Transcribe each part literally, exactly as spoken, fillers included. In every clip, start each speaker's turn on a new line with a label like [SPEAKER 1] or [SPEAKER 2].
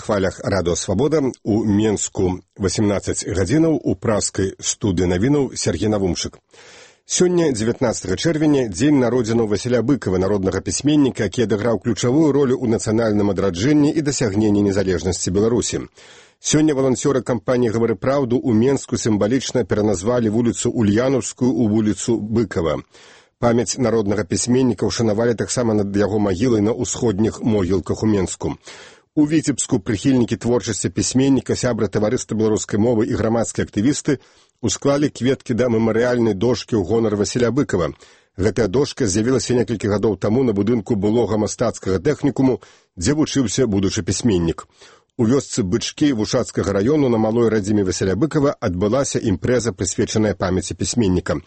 [SPEAKER 1] хвалях радыё Свабода у Менску васемнаццаць гадзінаў у праскай студыі навінаў Сергей Навумчык. Сёння, дзевятнаццатага чэрвеня, дзень народзінаў Васіля Быкава, народнага пісьменніка, які адыграў ключавую ролю ў нацыянальным адраджэнні і дасягненні незалежнасці Беларусі. Сёння валанцёры кампаніі «Гавары праўду» у Менску сімвалічна пераназвалі вуліцу Ульянаўскую ў вуліцу Быкава. Памяць народнага пісьменніка ўшанавалі таксама над яго магілай на ўсходніх могілках у Менску. У Віцебску прыхільнікі творчасці пісьменніка, сябры таварыства беларускай мовы і грамадскія актывісты усклалі кветкі да мемарыяльнай дошкі ў гонар Васіля Быкава. Гэтая дошка з'явілася некалькі гадоў таму на будынку былога мастацкага тэхнікуму, дзе вучыўся будучы пісьменнік. У вёсцы Бычкі Вушацкага раёну на малой радзіме Васіля Быкава адбылася імпрэза, прысвечаная памяці пісьменніка.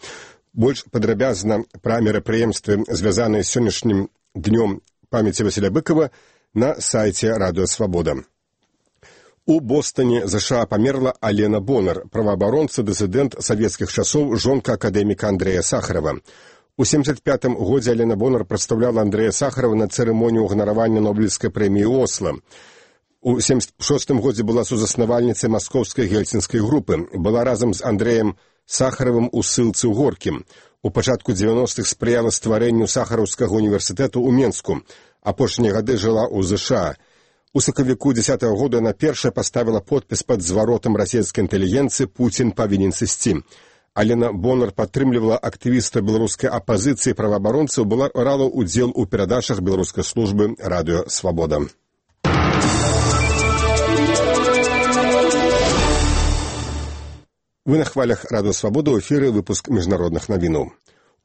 [SPEAKER 1] Больш падрабязна пра мерапрыемствы, звязаныя з сённяшнім днём памяці Васіля Быкава, на сайце радыё Свабода. У Бостоне ЗША памерла Алена Бонар, праваабаронца, дысідэнт савецкіх часоў, жонка акадэміка Андрэя Сахарова. У семьдесят пятым годзе Алена Бонар прадстаўляла Андрэя Сахарова на цырымонію ўганаравання Нобелевскай прэміі Осло. У семьдесят шостым годзе была сузаснавальніцай маскоўскай гельсінскай групы, была разам з Андрэем Сахаровым у ссылцы ў Горкім. У пачатку дзевяностых спрыяла стварэнню Сахараўскага універсітэту ў Менску. Апошнія гады жыла ў ЗША. У сакавіку дзесятага года яна першая паставіла подпіс пад зваротам расійскай інтэлігенцыі «Пуцін павінен сысці». Алена Бонар падтрымлівала актывіста беларускай апазіцыі праваабаронцаў, была брала ўдзел у перадачах беларускай службы радыё Свабода. Вы на хвалях радыё Свабода, ў эфіры выпуск міжнародных навінаў.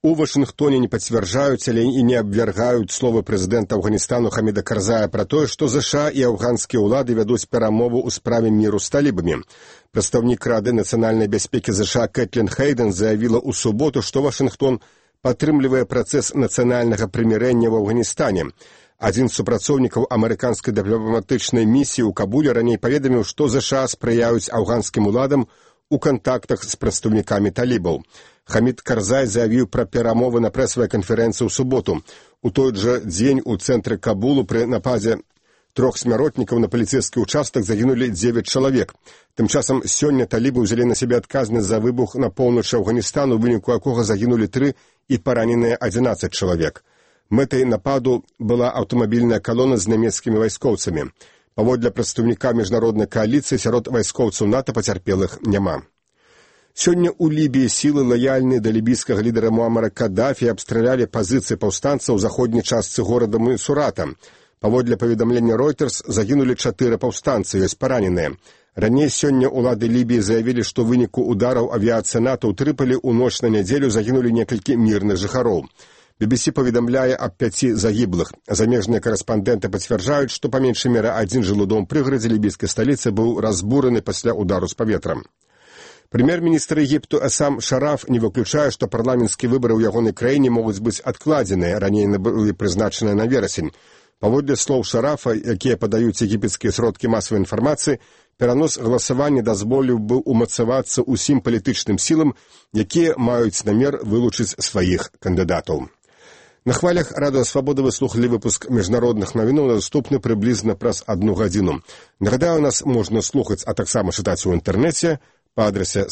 [SPEAKER 1] У Вашынгтоне не пацвярджаюць, але і не абвяргаюць словы прэзідэнта Афганістану Хаміда Карзая пра тое, што ЗША і афганскія ўлады вядуць перамову ў справе міру з талібамі. Прадстаўнік Рады нацыянальнай бяспекі ЗША Кэтлін Хейден заявіла ў суботу, што Вашынгтон падтрымлівае працэс нацыянальнага прымірэння ў Афганістане. Адзін з супрацоўнікаў амерыканскай дыпламатычнай місіі ў Кабуле раней паведаміў, што ЗША спрыяюць афганскім уладам у кантактах з прадстаўнікамі талібаў. Хамід Карзай заявіў пра перамовы на прэсавай канферэнцыі ў суботу. У той жа дзень у цэнтры Кабулу пры нападзе трох смяротнікаў на паліцэйскі ўчастак загінулі дзевяць чалавек. Тым часам сёння талібы ўзялі на сябе адказнасць за выбух на поўначы Афганістану, у выніку якога загінулі тры і параненыя адзінаццаць чалавек. Мэтай нападу была аўтамабільная калона з нямецкімі вайскоўцамі. Паводле прадстаўніка міжнароднай кааліцыі, сярод вайскоўцаў НАТО пацярпелых няма. Сёння ў Лібіі сілы, лаяльныя да лібійскага лідара Муамара Каддафі, абстралялі пазіцыі паўстанцаў у заходняй частцы горада Мисурата. Паводле паведамлення Reuters загінулі чатыры паўстанцы, ёсць параненыя. Раней сёння ўлады Лібіі заявілі, што ў выніку удараў авіяцыі НАТО ў Трыполі ў ноч на нядзелю загінулі некалькі мірных жыхароў. би би си паведамляе аб пяці загіблых. Замежныя карэспандэнты пацвярджаюць, што па меншай меры адзін жылы дом пры прыгарадзе лібійскай сталіцы быў разбураны пасля удару з паветрам. Прэм'ер-міністр Егіпту Эсам Шараф не выключае, што парламенцкія выбары ў ягонай краіне могуць быць адкладзеныя, раней былі прызначаныя на верасень. Паводле слоў Шарафа, якія падаюць егіпецкія сродкі масавай інфармацыі, перанос галасавання дазволіў бы умацавацца ўсім палітычным сілам, якія маюць намер вылучыць сваіх кандыдатаў. На хвалях радыё Свабода вы слухалі выпуск міжнародных навінаў, наступны прыблізна праз адну гадзіну. Нагадаю, нас можна слухаць, а таксама чытаць у інтэрнэце па адрасе